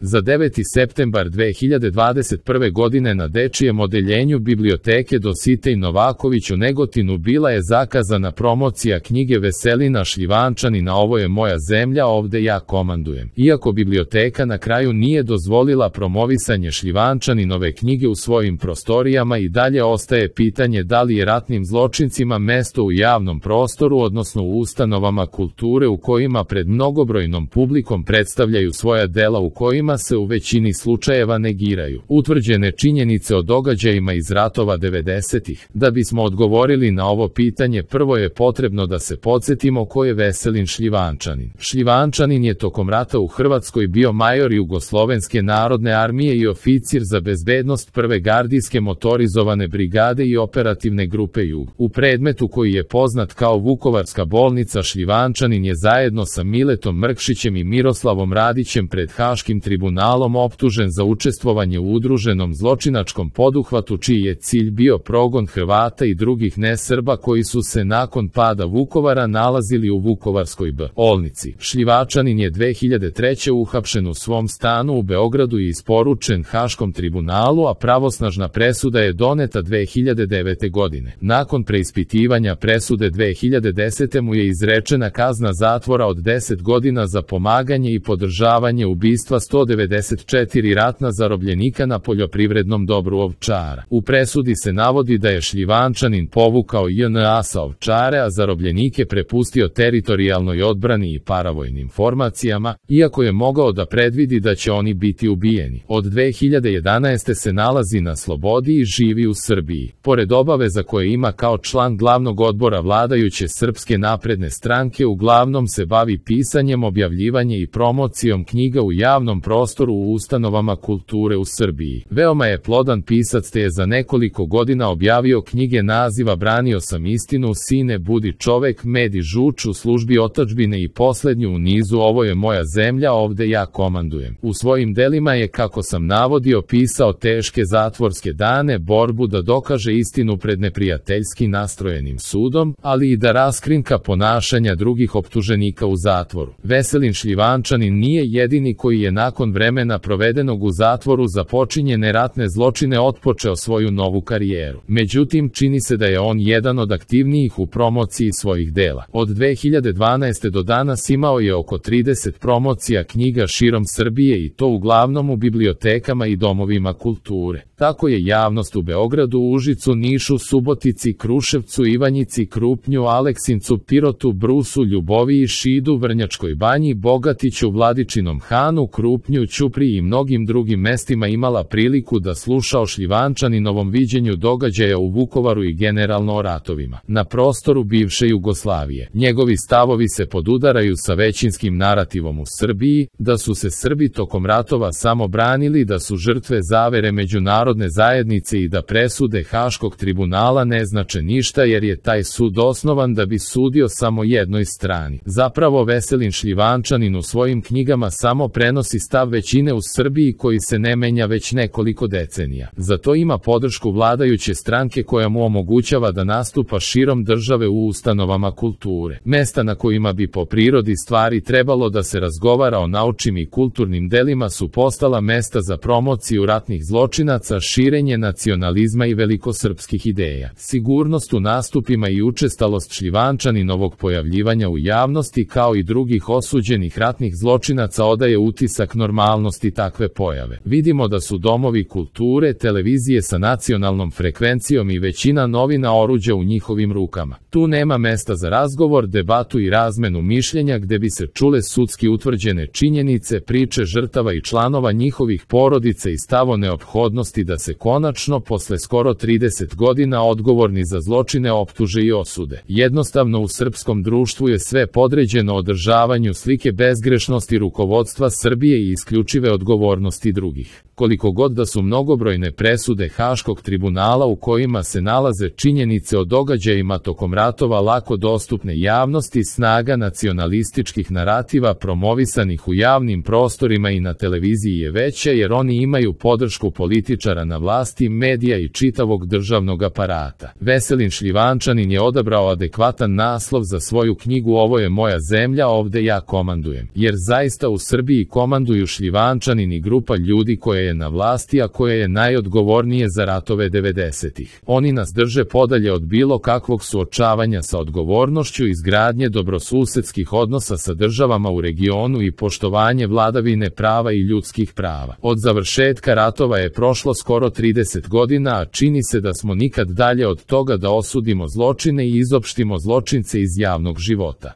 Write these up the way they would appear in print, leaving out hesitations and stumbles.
Za 9. septembar 2021. godine na dečijem odeljenju biblioteke Dositej Novaković u Negotinu bila je zakazana promocija knjige Veselina Šljivančanina Ovo je moja zemlja, ovde ja komandujem. Iako biblioteka na kraju nije dozvolila promovisanje Šljivančaninove knjige u svojim prostorijama, i dalje ostaje pitanje da li je ratnim zločincima mesto u javnom prostoru, odnosno u ustanovama kulture u kojima pred mnogobrojnom publikom predstavljaju svoja dela u kojima se u većini slučajeva negiraju utvrđene činjenice o događajima iz ratova 90-ih. Da bismo odgovorili na ovo pitanje, prvo je potrebno da se podsjetimo ko je Veselin Šljivančanin. Šljivančanin je tokom rata u Hrvatskoj bio major Jugoslovenske narodne armije i oficir za bezbednost Prve gardijske motorizovane brigade i operativne grupe Jug. U predmetu koji je poznat kao Vukovarska bolnica, Šljivančanin je zajedno sa Miletom Mrkšićem i Miroslavom Radićem pred Haškim tribunalom optužen za učestvovanje u udruženom zločinačkom poduhvatu čiji je cilj bio progon Hrvata i drugih nesrba koji su se nakon pada Vukovara nalazili u Vukovarskoj bolnici. Šljivančanin je 2003. uhapšen u svom stanu u Beogradu i isporučen Haškom tribunalu, a pravosnažna presuda je doneta 2009. godine. Nakon preispitivanja presude 2010. mu je izrečena kazna zatvora od 10 godina za pomaganje i podržavanje ubistva 194 ratna zarobljenika na poljoprivrednom dobru Ovčara. U presudi se navodi da je Šljivančanin povukao JNA sa Ovčare, a zarobljenike prepustio teritorijalnoj odbrani i paravojnim formacijama, iako je mogao da predvidi da će oni biti ubijeni. Od 2011. se nalazi na slobodi i živi u Srbiji. Pored obaveza koje ima kao član glavnog odbora vladajuće Srpske napredne stranke, uglavnom se bavi pisanjem, objavljivanjem i promocijom knjiga u javnom prostoru u ustanovama kulture u Srbiji. Veoma je plodan pisac, te je za nekoliko godina objavio knjige naziva Branio sam istinu, Sine budi čovek, Med i žuč, U službi otadžbine i poslednju u nizu Ovo je moja zemlja, ovde ja komandujem. U svojim delima je, kako sam navodio, pisao teške zatvorske dane, borbu da dokaže istinu pred neprijateljski nastrojenim sudom, ali i da raskrinka ponašanja drugih optuženika u zatvoru. Veselin Šljivančanin nije jedini koji je nakon vremena provedenog u zatvoru za počinjene ratne zločine otpočeo svoju novu karijeru. Međutim, čini se da je on jedan od aktivnijih u promociji svojih dela. Od 2012. do danas imao je oko 30 promocija knjiga širom Srbije, i to uglavnom u bibliotekama i domovima kulture. Tako je javnost u Beogradu, Užicu, Nišu, Subotici, Kruševcu, Ivanjici, Krupnju, Aleksincu, Pirotu, Brusu, Ljuboviji, Šidu, Vrnjačkoj banji, Bogatiću, Vladičinom Hanu, Krupnju, Ćupriji i mnogim drugim mestima imala priliku da sluša o Šljivančaninovom viđenju događaja u Vukovaru i generalno o ratovima na prostoru bivše Jugoslavije. Njegovi stavovi se podudaraju sa većinskim narativom u Srbiji, da su se Srbi tokom ratova samo branili, da su žrtve zavere međunarodne zajednice i da presude Haškog tribunala ne znače ništa jer je taj sud osnovan da bi sudio samo jednoj strani. Zapravo Veselin Šljivančanin u svojim knjigama samo prenosi stav većine u Srbiji koji se ne menja već nekoliko decenija. Za to ima podršku vladajuće stranke koja mu omogućava da nastupa širom države u ustanovama kulture. Mesta na kojima bi po prirodi stvari trebalo da se razgovara o naučnim i kulturnim delima su postala mesta za promociju ratnih zločinaca, širenje nacionalizma i velikosrpskih ideja. Sigurnost u nastupima i učestalost Šljivančaninovog pojavljivanja u javnosti kao i drugih osuđenih ratnih zločinaca odaje utisak normalnosti takve pojave. Vidimo da su domovi kulture, televizije sa nacionalnom frekvencijom i većina novina oruđa u njihovim rukama. Tu nema mesta za razgovor, debatu i razmenu mišljenja gde bi se čule sudski utvrđene činjenice, priče žrtava i članova njihovih porodica i stavo neophodnosti da se konačno posle skoro 30 godina odgovorni za zločine optuže i osude. Jednostavno u srpskom društvu je sve podređeno održavanju slike bezgrešnosti rukovodstva Srbije i isključive odgovornosti drugih. Koliko god da su mnogobrojne presude Haškog tribunala u kojima se nalaze činjenice o događajima tokom ratova lako dostupne javnosti, snaga nacionalističkih narativa promovisanih u javnim prostorima i na televiziji je veća jer oni imaju podršku političara na vlasti, medija i čitavog državnog aparata. Veselin Šljivančanin je odabrao adekvatan naslov za svoju knjigu Ovo je moja zemlja, ovde ja komandujem. Jer zaista u Srbiji komanduju Šljivančanin i grupa ljudi koja je na vlasti, a koja je najodgovornije za ratove 90-ih. Oni nas drže podalje od bilo kakvog suočavanja sa odgovornošću, izgradnje dobrosusedskih odnosa sa državama u regionu i poštovanje vladavine prava i ljudskih prava. Od završetka ratova je prošlo skoro 30 godina, a čini se da smo nikad dalje od toga da osudimo zločine i izopštimo zločince iz javnog života.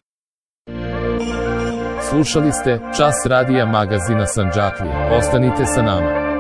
Slušali ste Čas radija magazina Sandžaklija. Ostanite sa nama.